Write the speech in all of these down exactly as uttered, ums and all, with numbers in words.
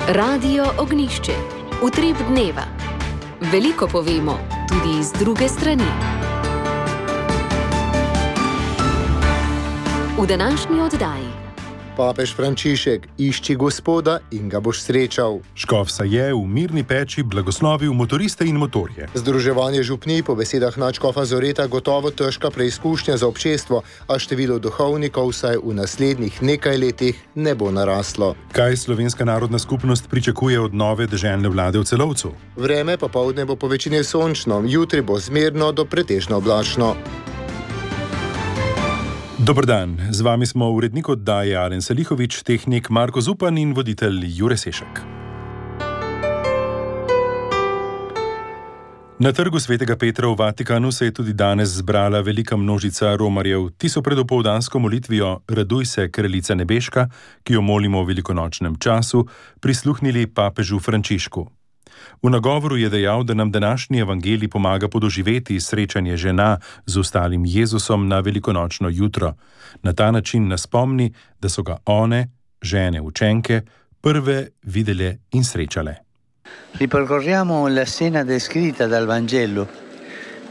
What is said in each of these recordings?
Radio Ognjišče. Utrip dneva. Veliko povemo, tudi iz druge strani. V današnji oddaji. Papež Frančišek, išči Gospoda in ga boš srečal. Škof Saje v Mirni Peči blagoslovil motoriste in motorje. Združevanje župnij po besedah nadškofa Zoreta gotovo težka preizkušnja za občestvo, a število duhovnikov vsaj v naslednjih nekaj letih ne bo naraslo. Kaj Slovenska narodna skupnost pričakuje od nove deželne vlade v Celovcu? Vreme popoldne bo po večini sončno, jutri bo zmerno do pretežno oblačno. Dober dan, z vami smo urednik oddaje Alen Salihovič, tehnik Marko Zupan in voditelj Jure Sešek. Na trgu Svetega Petra v Vatikanu se je tudi danes zbrala velika množica romarjev. Ti so pred opoldansko molitvijo Raduj se, kraljica nebeška, ki jo molimo v velikonočnem času, prisluhnili papežu Frančišku. V nagovoru je dejal, da nam današnji evangelij pomaga podoživeti srečanje žena z ostalim Jezusom na velikonočno jutro. Na ta način nas spomni, da so ga one, žene učenke, prve videle in srečale. Ripercorriamo la scena descritta dal Vangelo.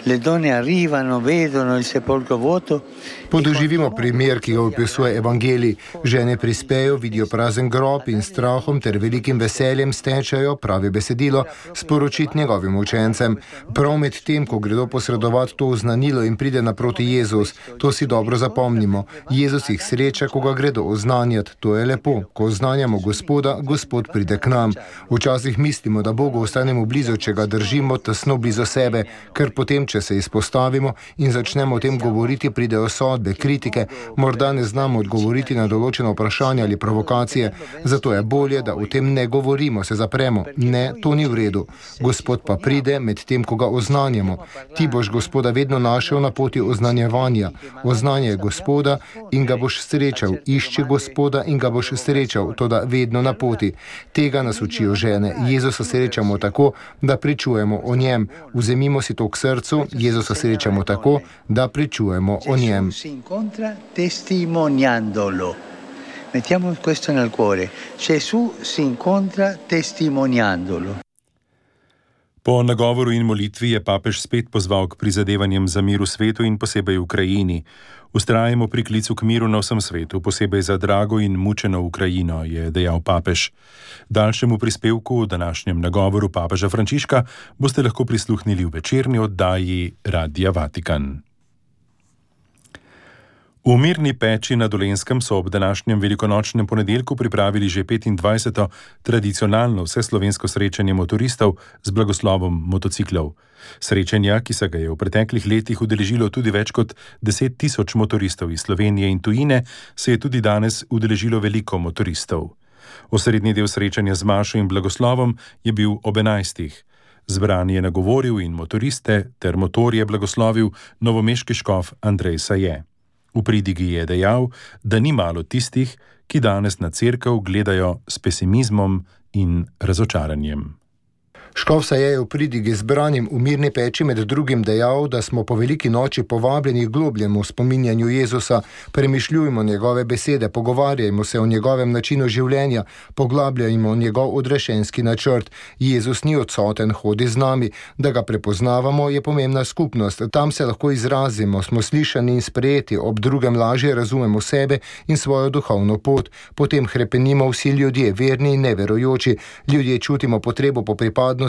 Le donne arrivano, vedono il sepolcro vuoto. Podoživimo primer, ki ga opisuje evangelij. Žene prispejo, vidijo prazen grob in strahom ter velikim veseljem stečajo, pravi besedilo, sporočiti njegovim učencem. Prav med tem, ko gredo posredovati to oznanilo in pride naproti Jezus, to si dobro zapomnimo. Jezus jih sreča, ko ga gredo oznanjati. To je lepo. Ko oznanjamo Gospoda, Gospod pride k nam. Včasih mislimo, da Bogu ostanemo blizu, če ga držimo tesno blizu sebe, ker potem, če se izpostavimo in začnemo o tem govoriti, pridejo sodbe, kritike, morda ne znamo odgovoriti na določeno vprašanje ali provokacije, zato je bolje, da o tem ne govorimo, se zapremo. Ne, to ni v redu. Gospod pa pride med tem, ko ga oznanjamo. Ti boš Gospoda vedno našel na poti oznanjevanja. Oznanjaj Gospoda in ga boš srečal. Išči Gospoda in ga boš srečal, toda vedno na poti. Tega nas učijo žene. Jezusa srečamo tako, da pričujemo o njem. Vzemimo si to k srcu. Jezusa srečamo tako, da pričujemo o njem. Mettiamo questo nel cuore. Gesù si incontra testimoniandolo. Po nagovoru in molitvi je papež spet pozval k prizadevanjem za mir v svetu in posebej v Ukrajini. Vztrajamo pri klicu k miru na vsem svetu, posebej za drago in mučeno Ukrajino, je dejal papež. Daljšemu prispevku v današnjem nagovoru papeža Frančiška boste lahko prisluhnili v večerni oddaji Radia Vatikan. V Mirni Peči na Dolenjskem so ob današnjem velikonočnem ponedeljku pripravili že petindvajseto tradicionalno vseslovensko srečanje motoristov z blagoslovom motociklov. Srečanja, ki se ga je v preteklih letih udeležilo tudi več kot deset tisoč motoristov iz Slovenije in tujine, se je tudi danes udeležilo veliko motoristov. Osrednji del srečanja z mašo in blagoslovom je bil ob enajstih. Zbrani je nagovoril in motoriste ter motorje blagoslovil novomeški škof Andrej Saje. V pridigi je dejal, da ni malo tistih, ki danes na cerkev gledajo s pesimizmom in razočaranjem. Škof Saje je v pridigi zbranim v Mirni Peči med drugim dejal, da smo po veliki noči povabljeni k globljemu spominjanju Jezusa, premišljujmo njegove besede, pogovarjajmo se o njegovem načinu življenja, poglabljajmo njegov odrešenski načrt. Jezus ni odsoten, hodi z nami, da ga prepoznavamo, je pomembna skupnost. Tam se lahko izrazimo, smo slišani in sprejeti, ob drugem lažje razumemo sebe in svojo duhovno pot. Potem hrepenimo vsi ljudje, verni in neverujoči. Ljudje čutimo potrebo po pripadnosti.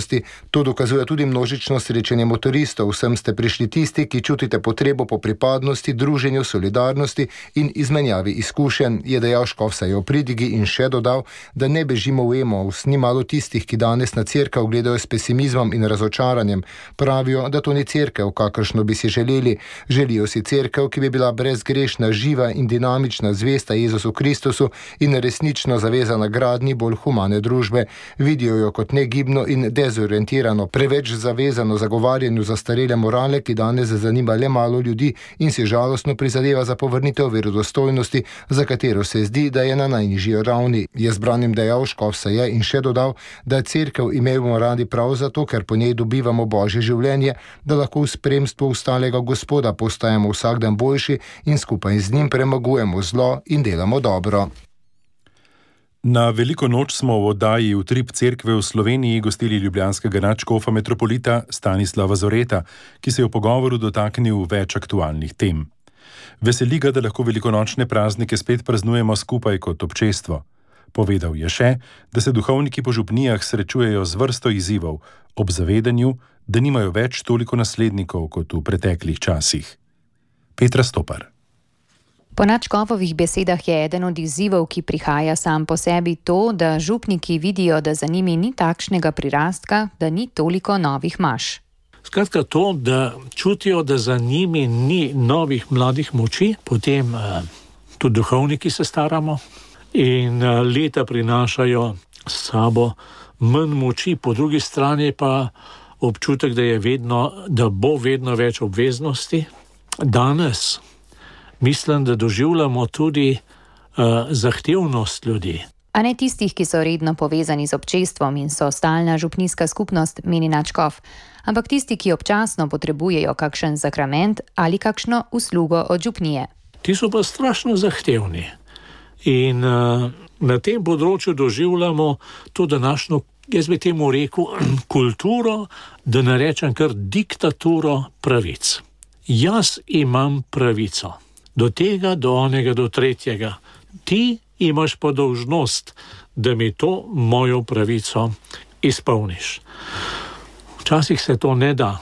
To dokazuje tudi množično srečanje motoristov. Vsem ste prišli tisti, ki čutite potrebo po pripadnosti, druženju, solidarnosti in izmenjavi izkušenj, je dejal škof Saje v pridigi in še dodal, da ne bežimo v emos. Ni malo tistih, ki danes na cerkev gledajo s pesimizmom in razočaranjem. Pravijo, da to ni cerkev, kakršno bi si želeli. Želijo si cerkev, ki bi bila brezgrešna, živa in dinamična, zvesta Jezusu Kristusu in resnično zavezana gradnji bolj humane družbe. Vidijo jo kot negibno in dezorientirano, preveč zavezano zagovarjanju zastarele morale, ki danes zanima le malo ljudi in si žalostno prizadeva za povrnitev verodostojnosti, za katero se zdi, da je na najnižji ravni. Je zbranim dejal škof Saje in še dodal, da cerkev imamo radi prav zato, ker po njej dobivamo božje življenje, da lahko v spremstvu ostalega Gospoda postajamo vsak dan boljši in skupaj z njim premagujemo zlo in delamo dobro. Na veliko noč smo v oddaji Utrip cerkve v Sloveniji gostili ljubljanskega nadškofa metropolita Stanislava Zoreta, ki se je v pogovoru dotaknil več aktualnih tem. Veseli ga, da lahko velikonočne praznike spet praznujemo skupaj kot občestvo. Povedal je še, da se duhovniki po župnijah srečujejo z vrsto izzivov, ob zavedanju, da nimajo več toliko naslednikov kot v preteklih časih. Petra Stopar. Po nadškofovih besedah je eden od izzivov, ki prihaja sam po sebi, to, da župniki vidijo, da za njimi ni takšnega prirastka, da ni toliko novih maš. Skratka to, da čutijo, da za njimi ni novih mladih moči, potem eh, tudi duhovniki se staramo in eh, leta prinašajo s sabo manj moči, po drugi strani pa občutek, da, je vedno, da bo vedno več obveznosti. Danes mislim, da doživljamo tudi uh, zahtevnost ljudi. A ne tistih, ki so redno povezani z občestvom in so stalna župnijska skupnost, meni nadškof, ampak tisti, ki občasno potrebujejo kakšen sakrament ali kakšno uslugo od župnije. Ti so pa strašno zahtevni. In uh, na tem področju doživljamo to današnjo, jaz bi temu rekel, kulturo, da ne rečem kar diktaturo pravic. Jaz imam pravico. Do tega, do onega, do tretjega. Ti imaš pa dolžnost, da mi to mojo pravico izpolniš. Včasih se to ne da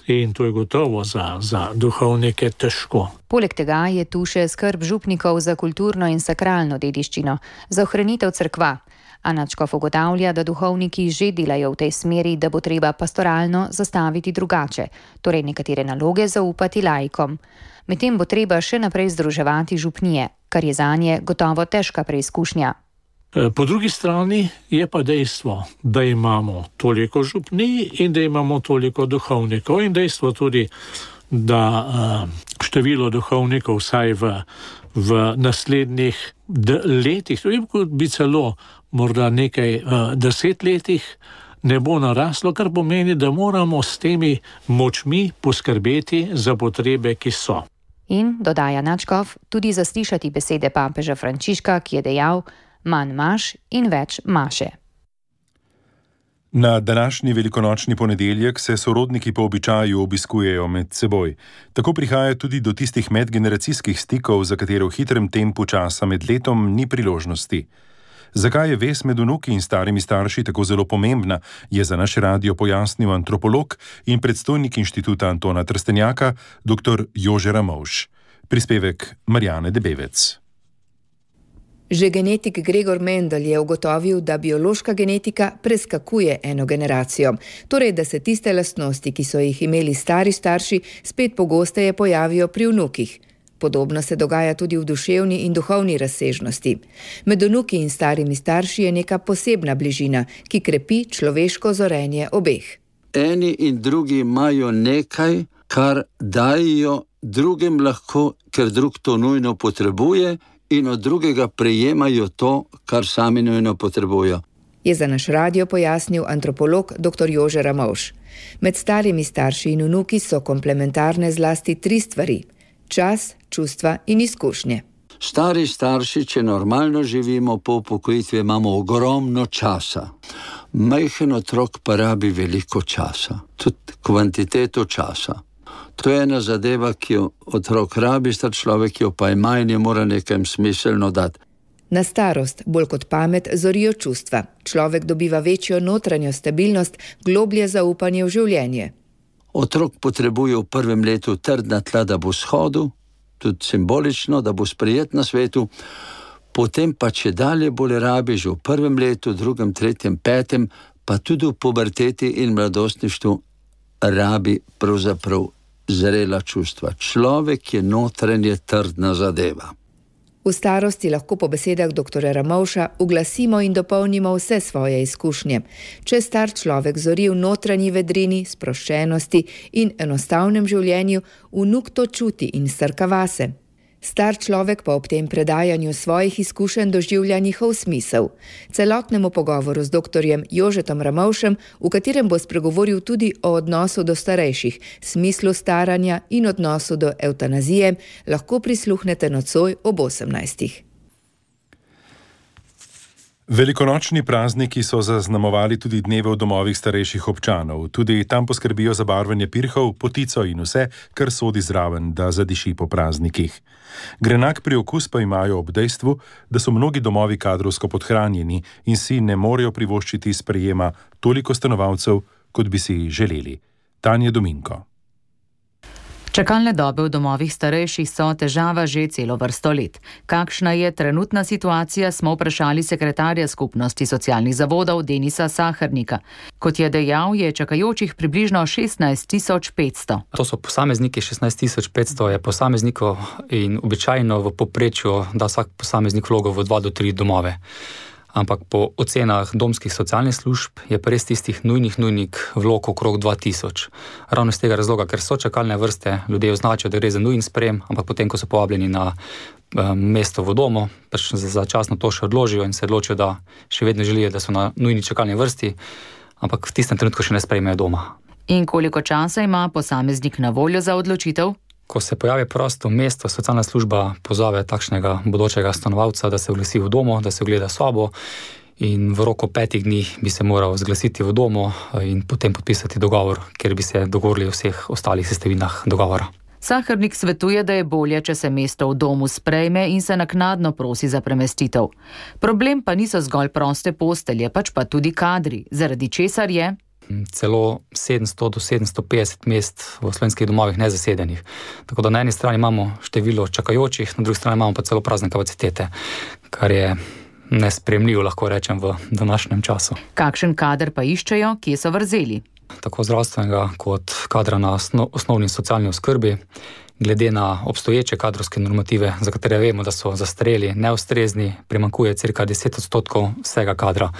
in to je gotovo za, za duhovnike težko. Poleg tega je tu še skrb župnikov za kulturno in sakralno dediščino, za ohranitev cerkva. A nadškof ugotavlja, da duhovniki že delajo v tej smeri, da bo treba pastoralno zastaviti drugače, torej nekatere naloge zaupati laikom. Medtem bo treba še naprej združevati župnije, kar je zanje gotovo težka preizkušnja. Po drugi strani je pa dejstvo, da imamo toliko župnij in da imamo toliko duhovnikov in dejstvo tudi, da število duhovnikov vsaj v, v naslednjih letih, tudi bi celo morda nekaj deset letih, ne bo naraslo, kar pomeni, da moramo s temi močmi poskrbeti za potrebe, ki so. In, dodaja nadškof, tudi zaslišati besede papeža Frančiška, ki je dejal: manj maš in več maše. Na današnji velikonočni ponedeljek se sorodniki po običaju obiskujejo med seboj. Tako prihaja tudi do tistih medgeneracijskih stikov, za katere v hitrem tempu časa med letom ni priložnosti. Zakaj je vez med vnuki in starimi starši tako zelo pomembna, je za naš radio pojasnil antropolog in predstojnik inštituta Antona Trstenjaka, dr. Jože Ramovš. Prispevek Marjane Debevec. Že genetik Gregor Mendel je ugotovil, da biološka genetika preskakuje eno generacijo, torej da se tiste lastnosti, ki so jih imeli stari starši, spet pogosteje pojavijo pri vnukih. Podobno se dogaja tudi v duševni in duhovni razsežnosti. Med vnuki in starimi starši je neka posebna bližina, ki krepi človeško zorenje obeh. Eni in drugi imajo nekaj, kar dajo drugim lahko, ker drug to nujno potrebuje, in od drugega prejemajo to, kar sami nujno potrebujejo. Je za naš radio pojasnil antropolog dr. Jože Ramovš. Med starimi starši in vnuki so komplementarne zlasti tri stvari: čas, čustva in izkušnje. Stari starši, če normalno živimo po upokojitvi, imamo ogromno časa. Majhen otrok pa rabi veliko časa, tudi kvantiteto časa. To je ena zadeva, ki jo otrok rabi, star človek jo pa ima in je mora nekaj smiselno dati. Na starost, bolj kot pamet, zorijo čustva. Človek dobiva večjo notranjo stabilnost, globlje zaupanje v življenje. Otrok potrebuje v prvem letu trdna tla, da bo shodil, tudi simbolično, da bo sprejet na svetu, potem pa če dalje bolj rabi že v prvem letu, drugem, tretjem, petem, pa tudi v puberteti in mladostništvu rabi pravzaprav zrela čustva. Človek je notranje trdna zadeva. V starosti lahko po besedah doktorja Ramovša uglasimo in dopolnimo vse svoje izkušnje. Če star človek zori v notranji vedrini, sproščenosti in enostavnem življenju, vnuk to čuti in strka vase. Star človek pa ob tem predajanju svojih izkušenj doživlja njihov smisel. Celotnemu pogovoru z doktorjem Jožetom Ramovšem, v katerem bo spregovoril tudi o odnosu do starejših, smislu staranja in odnosu do evtanazije, lahko prisluhnete nocoj ob osemnajstih. Velikonočni prazniki so zaznamovali tudi dneve v domovih starejših občanov. Tudi tam poskrbijo za barvanje pirhov, potico in vse, kar sodi zraven, da zadiši po praznikih. Grenak priokus pa imajo ob dejstvu, da so mnogi domovi kadrovsko podhranjeni in si ne morejo privoščiti sprejema toliko stanovalcev, kot bi si želeli. Tanja Dominko. Čakalne dobe v domovih starejših so težava že celo vrsto let. Kakšna je trenutna situacija, smo vprašali sekretarja skupnosti socialnih zavodov Denisa Sahernika. Kot je dejal, je čakajočih približno šestnajst tisoč petsto. To so posamezniki, šestnajst tisoč petsto je posameznikov in običajno v povprečju da vsak posameznik vlogo v dva do tri domove. Ampak po ocenah domskih socialnih služb je pa res tistih nujnih nujnih vlog okrog dva tisoč. Ravno iz tega razloga, ker so čakalne vrste, ljudje označijo, da gre za nujen sprejem, ampak potem, ko so povabljeni na um, mesto v domu, pač začasno to še odložijo in se odločijo, da še vedno želijo, da so na nujni čakalni vrsti, ampak v tistem trenutku še ne sprejmejo doma. In koliko časa ima posameznik na voljo za odločitev? Ko se pojavi prosto mesto, socialna služba pozove takšnega bodočega stanovalca, da se oglasi v domu, da se ogleda sobo in v roku petih dni bi se moral zglasiti v domu in potem podpisati dogovor, ker bi se dogovorili o vseh ostalih sestavinah dogovora. Sahernik svetuje, da je bolje, če se mesto v domu sprejme in se naknadno prosi za premestitev. Problem pa niso zgolj proste postelje, pač pa tudi kadri, zaradi česar je celo sedemsto do sedemsto petdeset mest v slovenskih domovih nezasedenih. Tako da na eni strani imamo število čakajočih, na drugi strani imamo pa celo prazne kapacitete, kar je nesprejemljivo, lahko rečem, v današnjem času. Kakšen kader pa iščejo, kje so vrzeli? Tako zdravstvenega kot kadra na osnovni socialni oskrbi, glede na obstoječe kadrovske normative, za katere vemo, da so zastareli, neustrezni, primanjkuje cirka deset odstotkov vsega kadra.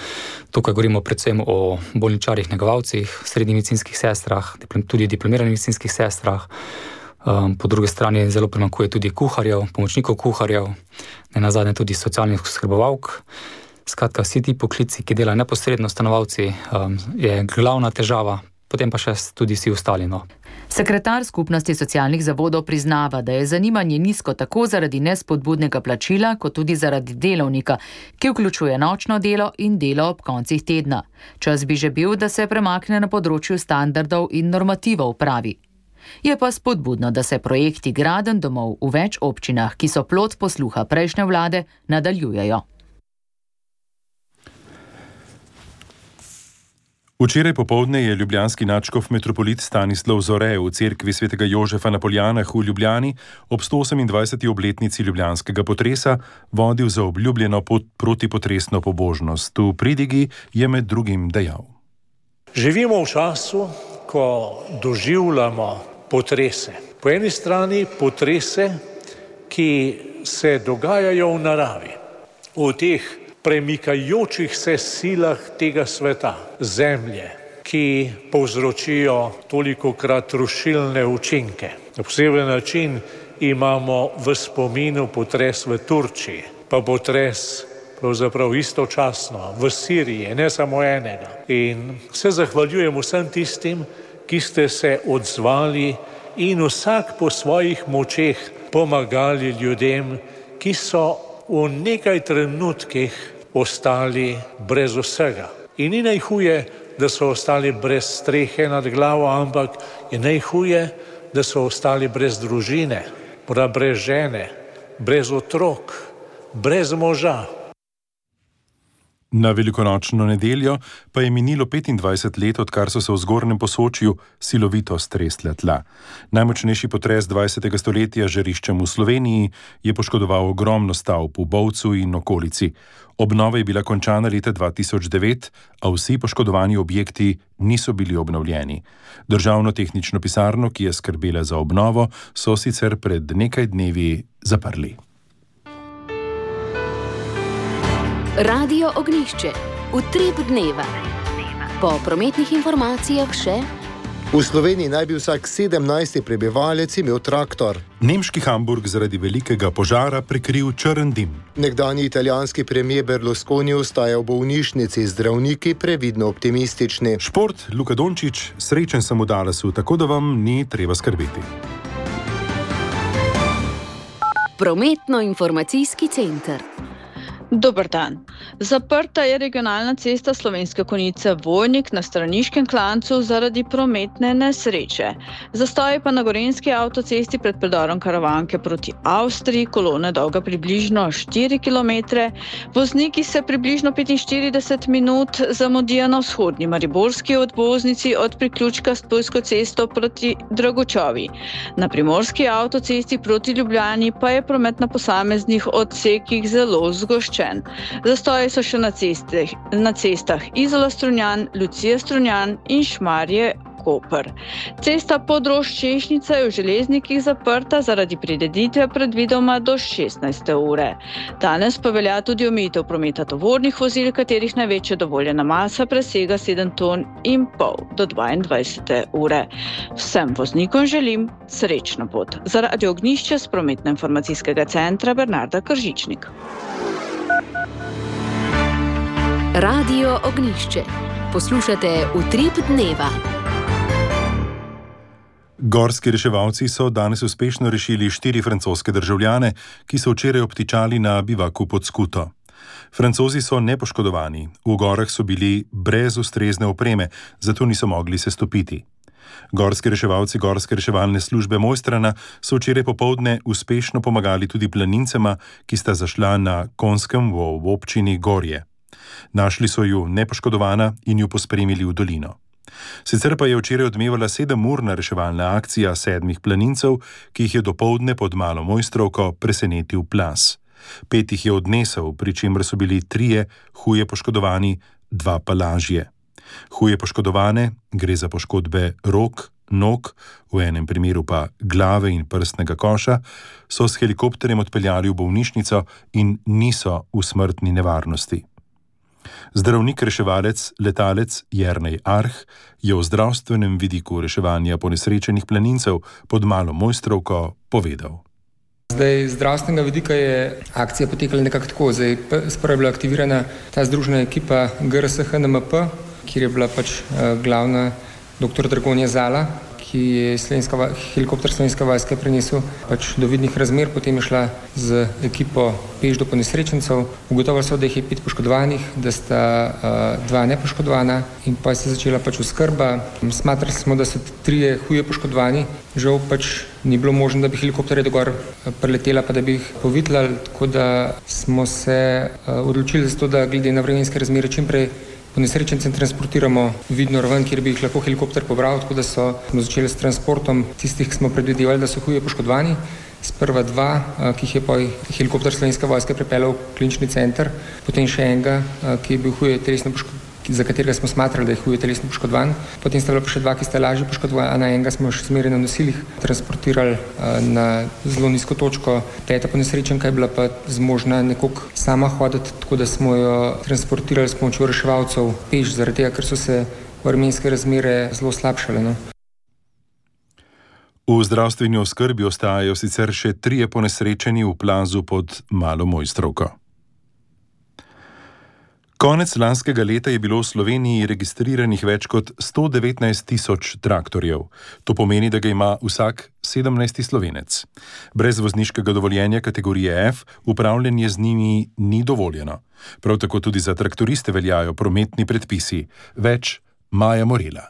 Tukaj govorimo predvsem o bolničarjih, negovalcih, srednjih medicinskih sestrah, tudi diplomiranih medicinskih sestrah. Po drugi strani zelo primanjkuje tudi kuharjev, pomočnikov kuharjev, nenazadnje tudi socialnih oskrbovalk. Skratka, vsi ti poklici, ki delajo neposredno stanovalci, je glavna težava, potem pa še tudi vsi ostali. No. Sekretar skupnosti socialnih zavodov priznava, da je zanimanje nizko tako zaradi nespodbudnega plačila, kot tudi zaradi delovnika, ki vključuje nočno delo in delo ob koncih tedna. Čas bi že bil, da se premakne na področju standardov in normativov, pravi. Je pa spodbudno, da se projekti gradenj domov v več občinah, ki so plod posluha prejšnje vlade, nadaljujejo. Včeraj popoldne je ljubljanski nadškof metropolit Stanislav Zore v cerkvi svetega Jožefa na Poljanah v Ljubljani ob sto osemindvajseti obletnici ljubljanskega potresa vodil za obljubljeno protipotresno pobožnost. V pridigi je med drugim dejal: Živimo v času, ko doživljamo potrese. Po eni strani potrese, ki se dogajajo v naravi, v teh premikajočih se silah tega sveta, zemlje, ki povzročijo tolikokrat rušilne učinke. Na poseben način imamo v spominu potres v Turčiji, pa potres pravzaprav istočasno v Siriji, ne samo enega. In se zahvaljujem vsem tistim, ki ste se odzvali in vsak po svojih močeh pomagali ljudem, ki so v nekaj trenutkih ostali brez vsega. In ni najhuje, da so ostali brez strehe nad glavo, ampak je najhuje, da so ostali brez družine, brez žene, brez otrok, brez moža. Na velikonočno nedeljo pa je minilo petindvajset let, odkar so se v Zgornjem Posočju silovito stresle tla. Najmočnejši potres dvajsetega stoletja z žariščem v Sloveniji je poškodoval ogromno stavb v Bovcu in okolici. Obnova je bila končana leta dva tisoč devet, a vsi poškodovani objekti niso bili obnovljeni. Državno tehnično pisarno, ki je skrbela za obnovo, so sicer pred nekaj dnevi zaprli. Radio Ognjišče, utrip dneva. Po prometnih informacijah še: v Sloveniji naj bi vsak sedemnajsti prebivalec imel traktor. Nemški Hamburg zaradi velikega požara prekril črn dim. Nekdanji italijanski premier Berlusconi ostaja v bolnišnici, zdravniki previdno optimistični. Šport, Luka Dončić, srečen sem v Dallasu, tako da vam ni treba skrbeti. Prometno-informacijski center. Dober dan. Zaprta je regionalna cesta Slovenske Konjice Vojnik na Straniškem klancu zaradi prometne nesreče. Zastoj pa na Gorenjski avtocesti pred predorom Karavanke proti Avstriji, kolona dolga približno štiri kilometre. Vozniki se približno petinštirideset minut zamudijo na vzhodni mariborski odvoznici od priključka s Ptujsko cesto proti Dragočovi. Na primorski avtocesti proti Ljubljani pa je promet na posameznih odsekih zelo zgoščen. Zastoji so še na, ceste, na cestah Izola Strunjan, Lucija Strunjan in Šmarje Koper. Cesta Podrož-Češnjica je v Železnikih zaprta zaradi prireditve predvidoma do šestnajste ure. Danes pa velja tudi omejitev prometa tovornih vozil, katerih največja dovoljena masa presega sedem ton in pol do dvaindvajsete ure. Vsem voznikom želim srečno pot. Za Radio Ognjišče s prometno-informacijskega centra Bernarda Kržičnik. Radio Ognjišče. Poslušate Utrip dneva. Gorski reševalci so danes uspešno rešili štiri francoske državljane, ki so včeraj obtičali na bivaku pod Skuto. Francozi so nepoškodovani, v gorah so bili brez ustrezne opreme, zato niso mogli se stopiti. Gorski reševalci Gorske reševalne službe Mojstrana so včeraj popoldne uspešno pomagali tudi planincema, ki sta zašla na Konskem v občini Gorje. Našli so ju nepoškodovana in ju pospremili v dolino. Sicer pa je včeraj odmevala sedemurna reševalna akcija sedmih planincev, ki jih je dopoldne pod Malo Mojstrovko presenetil plaz. Pet jih je odnesel, pri čemer so bili trije huje poškodovani, dva pa lažje. Huje poškodovane, gre za poškodbe rok, nog, v enem primeru pa glave in prstnega koša, so s helikopterjem odpeljali v bolnišnico in niso v smrtni nevarnosti. Zdravnik reševalec, letalec Jernej Arh je o zdravstvenem vidiku reševanja ponesrečenih planincev pod Malo Mojstrovko povedal. Zdaj, zdravstvenega vidika je akcija potekala nekako tako. Zdaj, sprva je bila aktivirana ta združena ekipa G R S H N M P, kjer je bila pač uh, glavna doktor Dragonja Zala, ki je slovenska, helikopter Slovenske vojske prenesel pač do vidnih razmer, potem je šla z ekipo peš do ponesrečencev. Ugotovili so, da jih je pet poškodovanih, da sta uh, dva nepoškodovana in pa se je začela pač oskrba. Smatrali smo, da so trije huje poškodovani, žal pač ni bilo možno, da bi helikopterje dogor preletela, pa da bi jih povitlali, tako da smo se uh, odločili za to, da glede na vremenske razmere čim prej ponesrečence transportiramo vidno raven, kjer bi jih lahko helikopter pobral, tako da so, smo začeli s transportom tistih, ki smo predvidevali, da so huje poškodovani. Sprva dva, ki jih je pa helikopter Slovenske vojske pripeljal v klinični center, potem še enega, ki je bil huje telesno poškodovan, za katerega smo smatrali, da je huje telesno poškodovan. Potem sta bila pa še dva, ki sta lažje poškodovana, enega smo še zmeraj na nosilih transportirali na zelo nizko točko. Peta ponesrečenka je bila pa zmožna nekoliko sama hoditi, tako da smo jo transportirali s pomočjo reševalcev peš, zaradi tega, ker so se vremenske razmere zelo slabšale. No? V zdravstveni oskrbi ostajajo sicer še trije ponesrečeni v plazu pod Malo Mojstrovko. Konec lanskega leta je bilo v Sloveniji registriranih več kot sto devetnajst tisoč traktorjev. To pomeni, da ga ima vsak sedemnajsti Slovenec. Brez vozniškega dovoljenja kategorije F upravljanje z njimi ni dovoljeno. Prav tako tudi za traktoriste veljajo prometni predpisi. Več Maja Morela.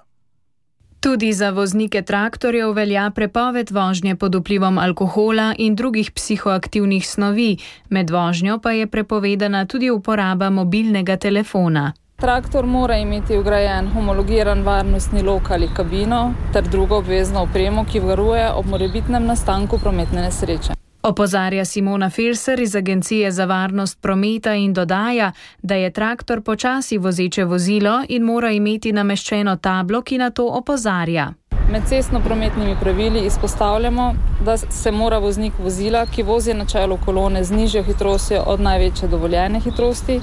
Tudi za voznike traktorjev velja prepoved vožnje pod vplivom alkohola in drugih psihoaktivnih snovi, med vožnjo pa je prepovedana tudi uporaba mobilnega telefona. Traktor mora imeti vgrajen homologiran varnostni lok ali kabino ter drugo obvezno opremo, ki varuje ob morebitnem nastanku prometne nesreče. Opozarja Simona Felser iz Agencije za varnost prometa in dodaja, da je traktor počasi vozeče vozilo in mora imeti nameščeno tablo, ki na to opozarja. Med cestno-prometnimi pravili izpostavljamo, da se mora voznik vozila, ki vozi na čelu kolone z nižjo hitrostjo od največje dovoljene hitrosti,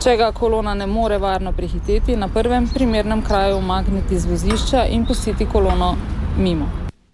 če ga kolona ne more varno prehiteti, na prvem primernem kraju umakniti z vozišča in pustiti kolono mimo.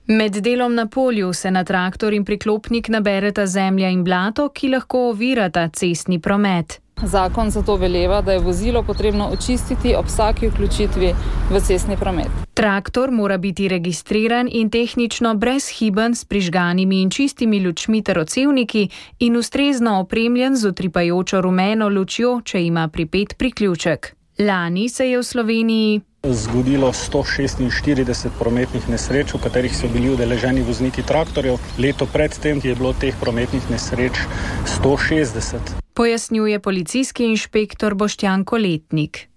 Med delom na polju se na traktor in priklopnik nabereta zemlja in blato, ki lahko ovirata cestni promet. Zakon zato veleva, da je vozilo potrebno očistiti ob vsaki vključitvi v cestni promet. Traktor mora biti registriran in tehnično brezhiben s prižganimi in čistimi lučmi ter odsevniki in ustrezno opremljen z utripajočo rumeno lučjo, če ima pripet priključek. Lani se je v Sloveniji zgodilo sto šestinštirideset prometnih nesreč, v katerih so bili udeleženi vozniki traktorjev. Leto predtem je bilo teh prometnih nesreč sto šestdeset. Pojasnjuje policijski inšpektor Boštjan Koletnik.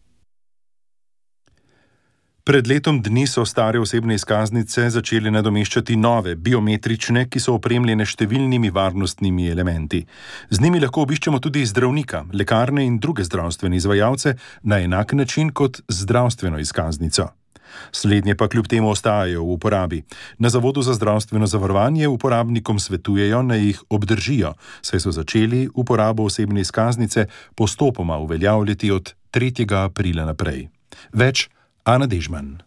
Pred letom dni so stare osebne izkaznice začeli nadomeščati nove, biometrične, ki so opremljene številnimi varnostnimi elementi. Z njimi lahko obiščemo tudi zdravnika, lekarne in druge zdravstvene izvajalce na enak način kot zdravstveno izkaznico. Slednje pa kljub temu ostajajo v uporabi. Na Zavodu za zdravstveno zavarovanje uporabnikom svetujejo, naj jih obdržijo, saj so začeli uporabo osebne izkaznice postopoma uveljavljati od tretjega aprila naprej. Več Ana Dežman.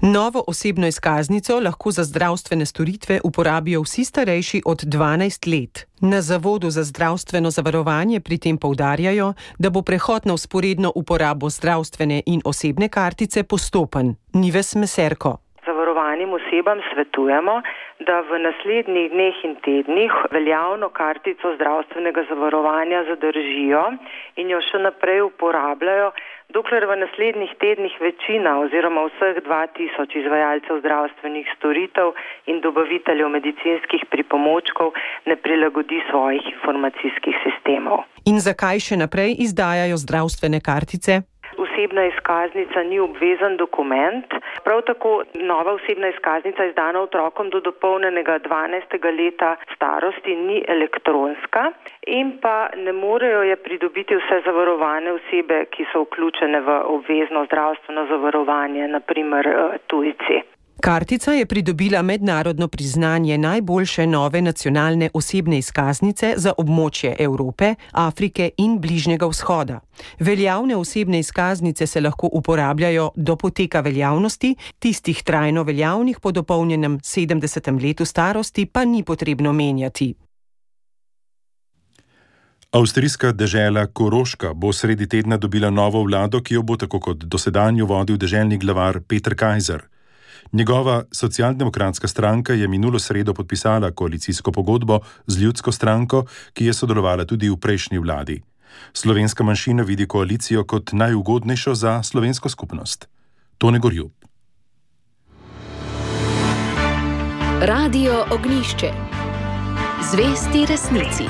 Novo osebno izkaznico lahko za zdravstvene storitve uporabijo vsi starejši od dvanajst let. Na Zavodu za zdravstveno zavarovanje pri tem poudarjajo, da bo prehod na vzporedno uporabo zdravstvene in osebne kartice postopen. Nives Meserko. Zavarovanim osebam svetujemo, da v naslednjih dneh in tednih veljavno kartico zdravstvenega zavarovanja zadržijo in jo še naprej uporabljajo, dokler v naslednjih tednih večina oziroma vseh dva tisoč izvajalcev zdravstvenih storitev in dobaviteljev medicinskih pripomočkov ne prilagodi svojih informacijskih sistemov. In zakaj še naprej izdajajo zdravstvene kartice? Osebna izkaznica ni obvezen dokument, prav tako nova osebna izkaznica izdana otrokom do dopolnjenega dvanajstega leta starosti ni elektronska in pa ne morejo je pridobiti vse zavarovane osebe, ki so vključene v obvezno zdravstveno zavarovanje, na primer tujci. Kartica je pridobila mednarodno priznanje najboljše nove nacionalne osebne izkaznice za območje Evrope, Afrike in Bližnjega vzhoda. Veljavne osebne izkaznice se lahko uporabljajo do poteka veljavnosti, tistih trajno veljavnih po dopolnjenem sedemdesetem letu starosti pa ni potrebno menjati. Avstrijska dežela Koroška bo sredi tedna dobila novo vlado, ki jo bo tako kot dosedanjo vodil deželni glavar Peter Kajzer. Njegova socialdemokratska stranka je minulo sredo podpisala koalicijsko pogodbo z ljudsko stranko, ki je sodelovala tudi v prejšnji vladi. Slovenska manjšina vidi koalicijo kot najugodnejšo za slovensko skupnost. Tone Gorjub. Radio Ognjišče. Zvesti resnici.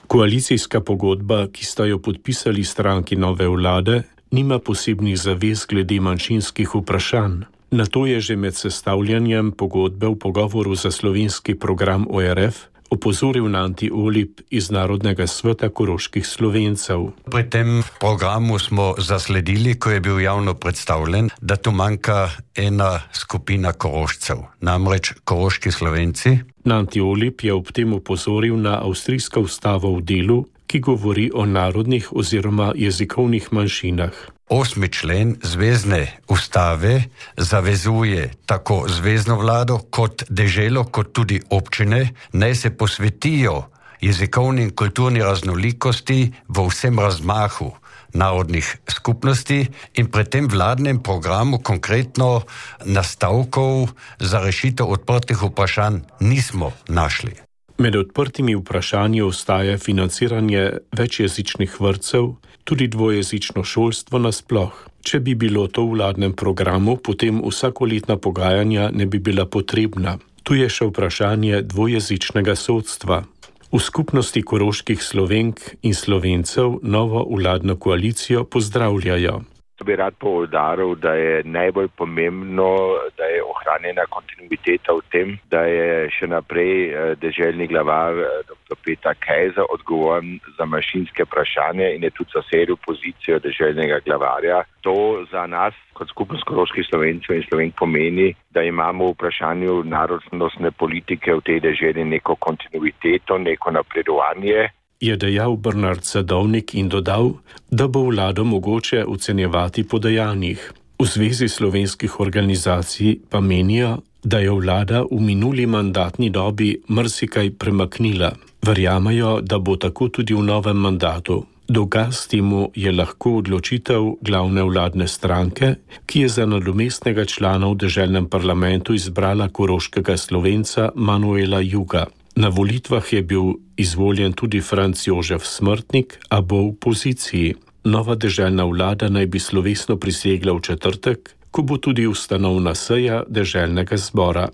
Koalicijska pogodba, ki sta jo podpisali stranki nove vlade, nima posebnih zavez glede manjšinskih vprašanj. Na to je že med sestavljanjem pogodbe v pogovoru za slovenski program O R F opozoril Nanti Olip iz Narodnega sveta koroških Slovencev. Pri tem programu smo zasledili, ko je bil javno predstavljen, da tu manjka ena skupina Korošcev, namreč koroški Slovenci. Nanti Olip je ob tem opozoril na avstrijsko ustavo v delu, ki govori o narodnih oziroma jezikovnih manjšinah. Osmi člen zvezne ustave zavezuje tako zvezno vlado kot deželo, kot tudi občine, naj se posvetijo jezikovni in kulturni raznolikosti v vsem razmahu narodnih skupnosti in pri tem vladnem programu konkretno nastavkov za rešitev odprtih vprašanj nismo našli. Med odprtimi vprašanji ostaja financiranje večjezičnih vrtcev, tudi dvojezično šolstvo nasploh. Če bi bilo to v vladnem programu, potem vsakoletna pogajanja ne bi bila potrebna. Tu je še vprašanje dvojezičnega sodstva. V skupnosti koroških Slovenk in Slovencev novo vladno koalicijo pozdravljajo. Bi rad poudaril, da je najbolj pomembno, da je ohranjena kontinuiteta v tem, da je še naprej deželni glavar doktor Peter Kajzer odgovoren za manjšinske vprašanje in je tudi zasedel pozicijo deželnega glavarja. To za nas kot skupnost koroških Slovencev in Slovenk pomeni, da imamo v vprašanju narodnostne politike v tej deželi neko kontinuiteto, neko napredovanje. Je dejal Bernard Sadovnik in dodal, da bo vlado mogoče ocenjevati po dejanjih. V Zvezi slovenskih organizacij pa menijo, da je vlada v minuli mandatni dobi marsikaj premaknila. Verjamejo, da bo tako tudi v novem mandatu. Dokaz temu je lahko odločitev glavne vladne stranke, ki je za nadomestnega člana v deželnem parlamentu izbrala koroškega Slovenca Manuela Juga. Na volitvah je bil izvoljen tudi Franc Jožef Smrtnik, a bo v poziciji. Nova deželna vlada naj bi slovesno prisegla v četrtek, ko bo tudi ustanovna seja deželnega zbora.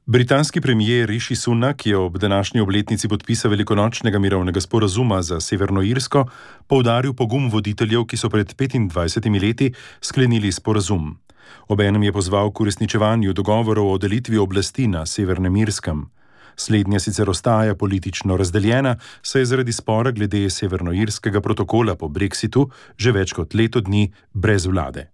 Britanski premijer Rishi Sunak je ob današnji obletnici podpisa velikonočnega mirovnega sporazuma za Severno Irsko poudaril pogum voditeljev, ki so pred petindvajsetimi leti sklenili sporazum. Obenem je pozval k uresničevanju dogovorov o delitvi oblasti na Severnem Irskem. Slednja sicer ostaja politično razdeljena, saj je zaradi spora glede severnoirskega protokola po Brexitu že več kot leto dni brez vlade.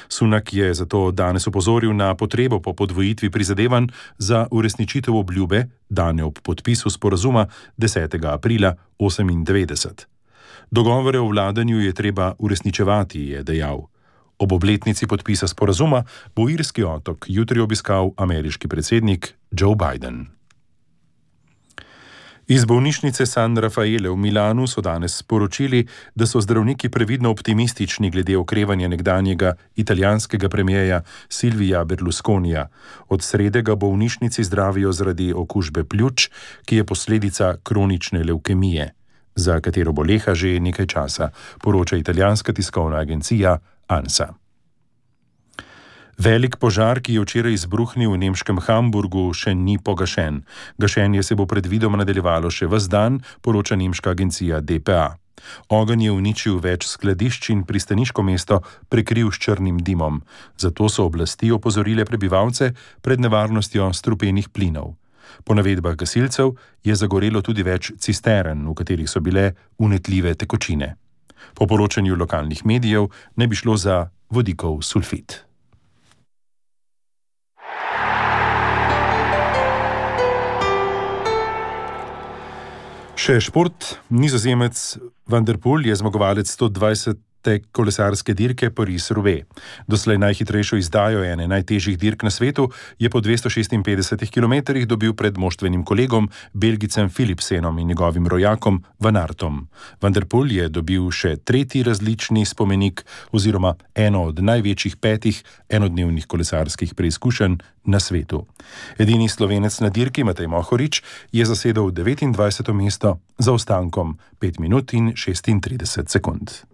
Sunak je zato danes opozoril na potrebo po podvojitvi prizadevanj za uresničitev obljube, dane ob podpisu sporazuma desetega aprila osemindevetdeset. Dogovore o vladanju je treba uresničevati, je dejal. Ob obletnici podpisa sporazuma bo irski otok jutri obiskal ameriški predsednik Joe Biden. Iz bolnišnice San Raffaele v Milanu so danes sporočili, da so zdravniki previdno optimistični glede okrevanja nekdanjega italijanskega premijeja Silvija Berlusconija. Od srede ga bolnišnici zdravijo zaradi okužbe pljuč, ki je posledica kronične levkemije, za katero boleha že nekaj časa, poroča italijanska tiskovna agencija ANSA. Velik požar, ki je včeraj izbruhnil v nemškem Hamburgu, še ni pogašen. Gašenje se bo predvidoma nadaljevalo še ves dan, poroča nemška agencija D P A. Ogenj je uničil več skladišč in pristaniško mesto prekril s črnim dimom. Zato so oblasti opozorile prebivalce pred nevarnostjo strupenih plinov. Po navedbah gasilcev je zagorelo tudi več cistern, v katerih so bile vnetljive tekočine. Po poročanju lokalnih medijev ne bi šlo za vodikov sulfit. Še šport. Nizozemec Van der Poel je zmagovalec sto dvajsete kolesarske dirke Paris-Roubaix. Doslej najhitrejšo izdajo ene najtežjih dirk na svetu je po dvesto šestinpetdesetih kilometrih dobil pred moštvenim kolegom Belgicem Philipsenom in njegovim rojakom Van Aertom. Van der Poel je dobil še tretji različni spomenik oziroma eno od največjih petih enodnevnih kolesarskih preizkušenj na svetu. Edini Slovenec na dirki Matej Mohorič je zasedel devetindvajseto mesto za ostankom pet minut in šestintrideset sekund.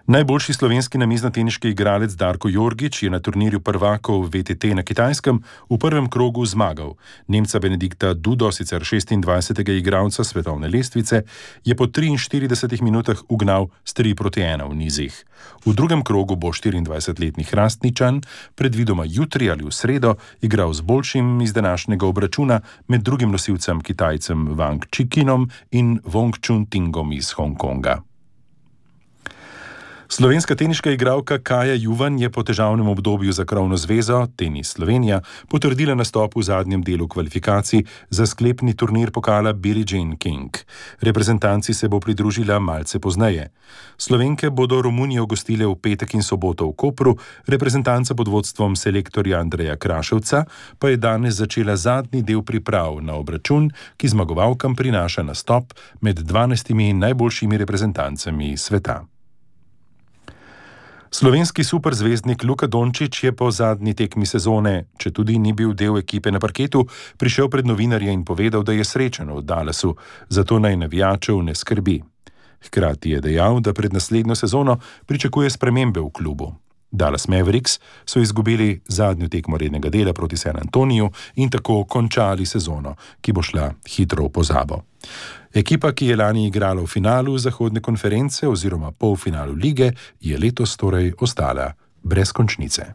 Najboljši slovenski namiznoteniški igralec Darko Jorgič je na turnirju prvakov V T T na Kitajskem v prvem krogu zmagal. Nemca Benedikta Dudo, sicer šestindvajsetega igralca svetovne lestvice, je po triinštiridesetih minutah ugnal s tri proti ena v nizih. V drugem krogu bo štiriindvajsetletni Hrastničan predvidoma jutri ali v sredo igral z boljšim iz današnjega obračuna med drugim nosilcem Kitajcem Wang Qiqinom in Wong Chun Tingom iz Hongkonga. Slovenska teniška igralka Kaja Juvan je po težavnem obdobju za krovno zvezo Tenis Slovenija potrdila nastop v zadnjem delu kvalifikacij za sklepni turnir pokala Billie Jean King. Reprezentanci se bo pridružila malce pozneje. Slovenke bodo Romunijo gostile v petek in soboto v Kopru, reprezentanca pod vodstvom selektorja Andreja Kraševca pa je danes začela zadnji del priprav na obračun, ki zmagovalkam prinaša nastop med dvanajstimi najboljšimi reprezentancami sveta. Slovenski superzvezdnik Luka Dončić je po zadnji tekmi sezone, če tudi ni bil del ekipe na parketu, prišel pred novinarje in povedal, da je srečen v Dallasu, zato naj navijačev ne skrbi. Hkrati je dejal, da pred naslednjo sezono pričakuje spremembe v klubu. Dallas Mavericks so izgubili zadnjo tekmo rednega dela proti San Antoniju in tako končali sezono, ki bo šla hitro v pozabo. Ekipa, ki je lani igrala v finalu zahodne konference oziroma polfinalu lige, je letos torej ostala brez končnice.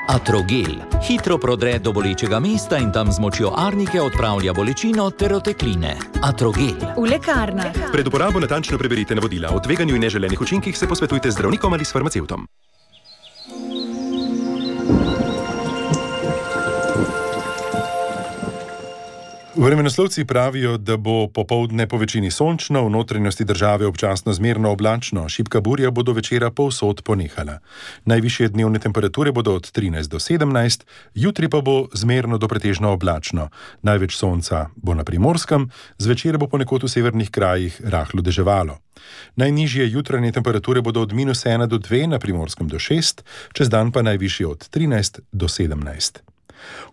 Atrogel hitro prodre do bolečega mesta in tam z močjo arnike odpravlja bolečino ter otekline. Atrogel. V lekarnah. Pred uporabo natančno preberite navodila. O tveganju in neželenih učinkih se posvetujte z zdravnikom ali s farmacevtom. Vremenoslovci pravijo, da bo popoldne po večini sončno, v notranjosti države občasno zmerno oblačno, šibka burja bo do večera povsod ponehala. Najvišje dnevne temperature bodo od trinajst do sedemnajst, jutri pa bo zmerno do pretežno oblačno. Največ sonca bo na Primorskem, zvečer bo ponekod v severnih krajih rahlo deževalo. Najnižje jutranje temperature bodo od minus ena do dve, na Primorskem do šest, čez dan pa najvišje od trinajst do sedemnajst.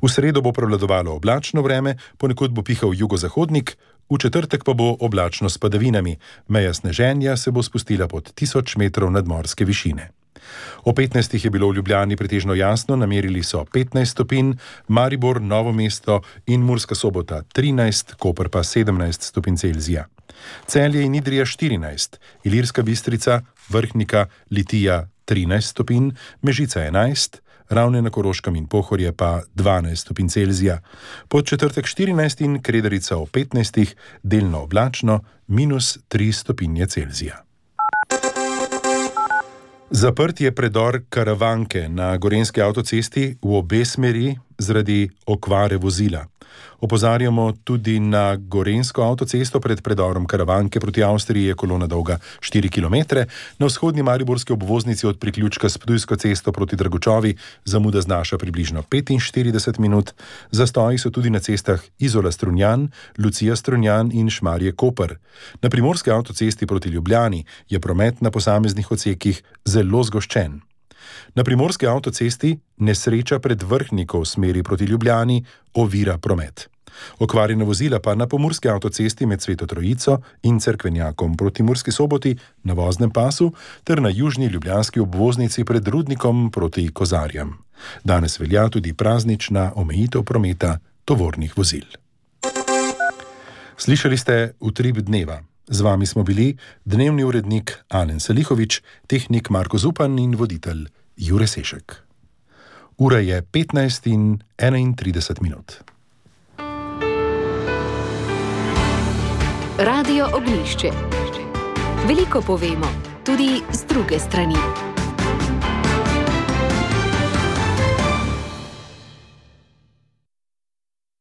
V sredo bo prevladovalo oblačno vreme, ponekod bo pihal jugozahodnik, v četrtek pa bo oblačno s padavinami. Meja sneženja se bo spustila pod tisoč metrov nadmorske višine. O petnajstih je bilo v Ljubljani pretežno jasno, namerili so petnajst stopinj, Maribor, Novo mesto in Murska Sobota trinajst, Koper pa sedemnajst stopinj Celzija. Celje in Idrija štirinajst, Ilirska Bistrica, Vrhnika, Litija trinajst stopinj, Mežica enajst, Ravne na Koroškem in Pohorje pa dvanajst stopinj Celzija. Pod četrtek štirinajst in Kredarica o petnajstih, delno oblačno, minus tri stopinje Celzija. Zaprt je predor Karavanke na Gorenjski avtocesti v obe smeri zaradi okvare vozila. Opozarjamo tudi na Gorenjsko avtocesto pred predorom Karavanke proti Avstriji je kolona dolga štiri kilometre, na vzhodni mariborski obvoznici od priključka s Ptujsko cesto proti Dragočovi zamuda znaša približno petinštirideset minut, zastoji so tudi na cestah Izola Strunjan, Lucija Strunjan in Šmarje Koper. Na primorski avtocesti proti Ljubljani je promet na posameznih odsekih zelo zgoščen. Na primorski avtocesti nesreča pred Vrhnikom v smeri proti Ljubljani ovira promet. Okvarjena vozila pa na pomurski avtocesti med Sveto Trojico in Cerkvenjakom proti Murski Soboti na voznem pasu ter na južni ljubljanski obvoznici pred Rudnikom proti Kozarjem. Danes velja tudi praznična omejitev prometa tovornih vozil. Slišali ste Utrip dneva. Z vami smo bili dnevni urednik Alen Salihovič, tehnik Marko Zupan in voditelj Jure Sešek. Ura je petnajst in enaintrideset minut. Radio Ognjišče. Veliko povemo, tudi z druge strani.